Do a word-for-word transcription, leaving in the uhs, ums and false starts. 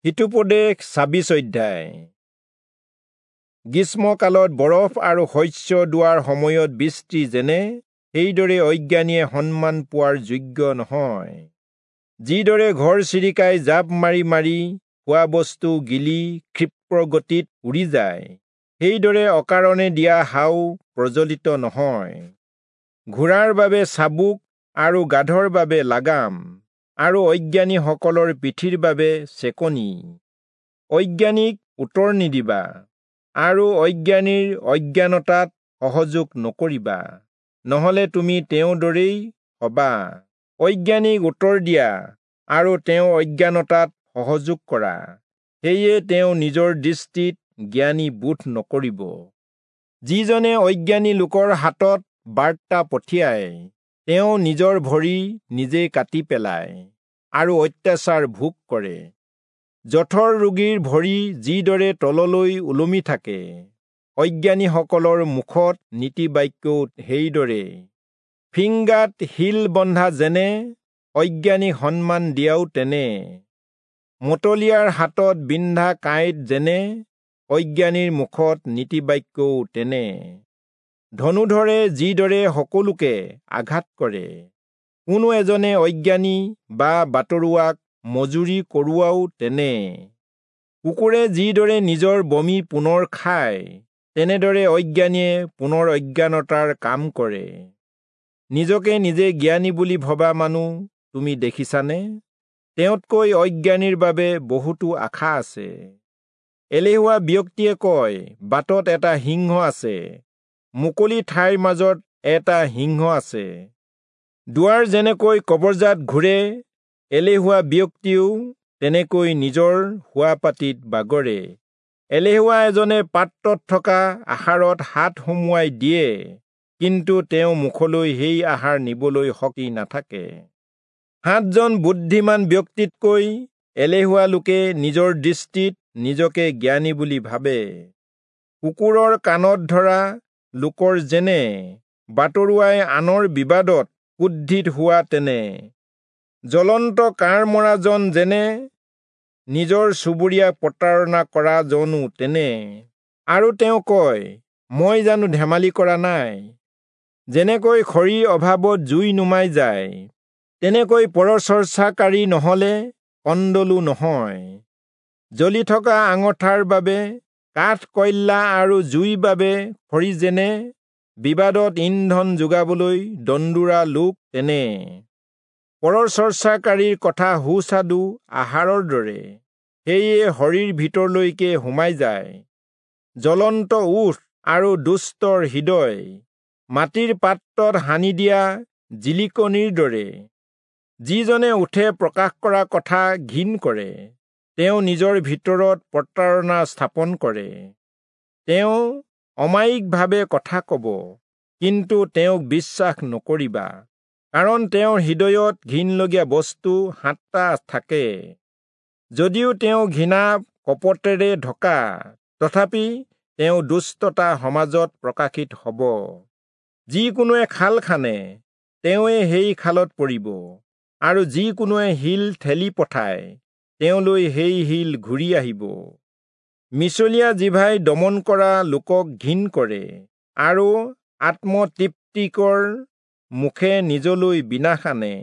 হিতোপদেশ ছাব্বিছ অধ্যায়। গ্ৰীষ্মকালত বৰফ আৰু শস্য দোৱাৰ সময়ত বৃষ্টি যেনে, সেইদৰে অজ্ঞানীয়ে সন্মান পোৱাৰ যোগ্য নহয়। যিদৰে ঘৰচিৰিকাই জাঁপ মাৰি মাৰি খোৱা বস্তু গিলি ক্ষিপ্ৰ গতিত উৰি যায়, সেইদৰে অকাৰণে দিয়া শাও প্ৰজ্বলিত নহয়। ঘোঁৰাৰ বাবে চাবুক আৰু গাধৰ বাবে লাগাম, আৰু অজ্ঞানীসকলৰ পিঠিৰ বাবে চেকনি। অজ্ঞানীক উত্তৰ নিদিবা, আৰু অজ্ঞানীৰ অজ্ঞানতাত সহযোগ নকৰিবা, নহলে তুমি তেওঁৰ দৰেই হবা। অজ্ঞানীক উত্তৰ দিয়া আৰু তেওঁ অজ্ঞানতাত সহযোগ কৰা, সেয়ে তেওঁ নিজৰ দৃষ্টিত জ্ঞানী বোধ নকৰিব। যিজনে অজ্ঞানী লোকৰ হাতত বাৰ্তা পঠিয়ায়, তেওঁ নিজৰ ভৰি নিজে কাটি পেলায় আৰু অত্যাচাৰ ভোগ কৰে। জঠৰ ৰোগীৰ ভৰি যিদৰে তললৈ ওলমি থাকে, অজ্ঞানীসকলৰ মুখত নীতিবাক্যও সেইদৰে। ফিংগাত শিল বন্ধা যেনে, অজ্ঞানীক সন্মান দিয়াও তেনে। মতলীয়াৰ হাতত বিন্ধা কাঁইট যেনে, অজ্ঞানীৰ মুখত নীতিবাক্যও তেনে। ধনুধৰে যিদৰে সকলোকে আঘাত কৰে, কোনো এজনে অজ্ঞানী বা বাটৰুৱাক মজুৰি কৰোৱাও তেনে। কুকুৰে যিদৰে নিজৰ বমি পুনৰ খায়, তেনেদৰে অজ্ঞানীয়ে পুনৰ অজ্ঞানতাৰ কাম কৰে। নিজকে নিজে জ্ঞানী বুলি ভবা মানুহ তুমি দেখিছানে? তেওঁতকৈ অজ্ঞানীৰ বাবে বহুতো আশা আছে। এলেহুৱা ব্যক্তিয়ে কয়, বাটত এটা সিংহ আছে, মুকলি ঠাইৰ মাজত এটা সিংহ আছে। দুৱাৰ যেনেকৈ কবৰজাত ঘূৰে, এলেহুৱা ব্যক্তিও তেনেকৈ নিজৰ শোৱাপাটীত বাগৰে। এলেহুৱা এজনে পাত্ৰত থকা আহাৰত হাত সুমুৱাই দিয়ে, কিন্তু তেওঁ মুখলৈ সেই আহাৰ নিবলৈ শক্তি নাথাকে। সাতজন বুদ্ধিমান ব্যক্তিতকৈ এলেহুৱা লোকে নিজৰ দৃষ্টিত নিজকে জ্ঞানী বুলি ভাবে। কুকুৰৰ কাণত ধৰা লোকৰ যেনে, বাটৰুৱাই আনৰ বিবাদত ক্ৰোধিত হোৱা তেনে। জ্বলন্ত কাঁড় মৰাজন যেনে, নিজৰ চুবুৰীয়াক প্ৰতাৰণা কৰা জনো তেনে। আৰু তেওঁ কয়, মই জানো ধেমালি কৰা নাই? যেনেকৈ খৰিৰ অভাৱত জুই নুমাই যায়, তেনেকৈ পৰচৰ্চাকাৰী নহলে কন্দলো নহয়। জ্বলি থকা আঙঠাৰ বাবে কাঠ কয়লা আৰু জুইৰ বাবে খৰি যেনে, বিবাদত ইন্ধন যোগাবলৈ দন্দুৰা লোক তেনে। পৰচৰ্চাকাৰীৰ কথা সুস্বাদু আহাৰৰ দৰে, সেয়ে শৰীৰ ভিতৰলৈকে সোমাই যায়। জ্বলন্ত ওঁঠ আৰু দুষ্টৰ হৃদয় মাটিৰ পাত্ৰত সানি দিয়া জিলিকনিৰ দৰে। যিজনে ওঁঠে প্ৰকাশ কৰা কথা ঘিণ কৰে, তেওঁ নিজৰ ভিতৰত প্ৰতাৰণা স্থাপন কৰে। তেওঁ অমায়িকভাৱে কথা কব, কিন্তু তেওঁক বিশ্বাস নকৰিবা, কাৰণ তেওঁৰ হৃদয়ত ঘিণলগীয়া বস্তু সাতটা থাকে। যদিও তেওঁ ঘৃণা কপটেৰে ঢকা, তথাপি তেওঁ দুষ্টতা সমাজত প্ৰকাশিত হব। যিকোনোৱে খাল খানে, তেওঁৱে সেই খালত পৰিব, আৰু যিকোনোৱে শিল ঠেলি পঠায়, তেওঁলৈ সেই শিল ঘূৰি আহিব। মিছলীয়া জিভাই দমন কৰা লোকক ঘিণ কৰে, আৰু আত্মতৃপ্তিকৰ মুখে নিজলৈ বিনাশ আনে।